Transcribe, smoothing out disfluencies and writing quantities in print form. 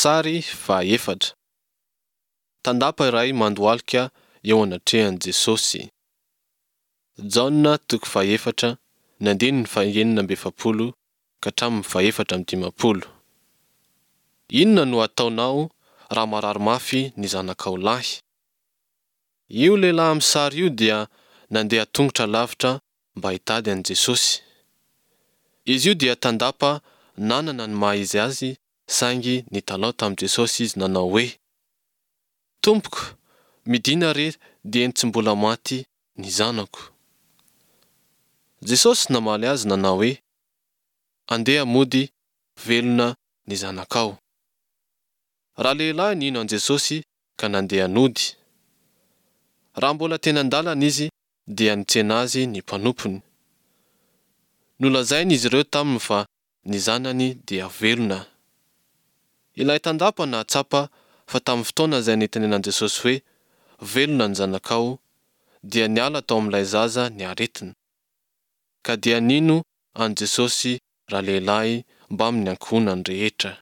Sary fahaefatra. Tandapa iray mandohalika eo anatrehan'i Jesosy. Jaona toko fahefatra, ny andininy fahenina amby efapolo ka hatramin'ny fahefatra amby dimampolo. Inona no hataonao raha marary mafy ny zanakao lahy? Io lehilahy amin'ny sary io dia nandeha tongotra lavitra mba hitady an'i Jesosy. Izy io dia tandapa nanana ny maha izy azy saingy nitalaho tamin'i Jesosy izy nanao hoe, Tompoko, midìna re dieny tsy mbola maty ny zanako. Jesosy namaly azy nanao hoe, Andeha mody, velona ny zanakao. Ralehilahy nino an'i Jesosy ka nandeha nody. Raha mbola teny an-dalana izy dia nitsena azy ny mpanompony. Nolazain'izy ireo taminy fa ny zanany dia velona. Ilay tandapa nahatsapa fa tamin'ny fotoana izay nitenenan'i Jesosy hoe, Velona ny zanakao, dia niala tao amin'ilay zaza ny aretina. Ka dia nino an'i Jesosy ralehilahy mbamin'ny ankohonany rehetra.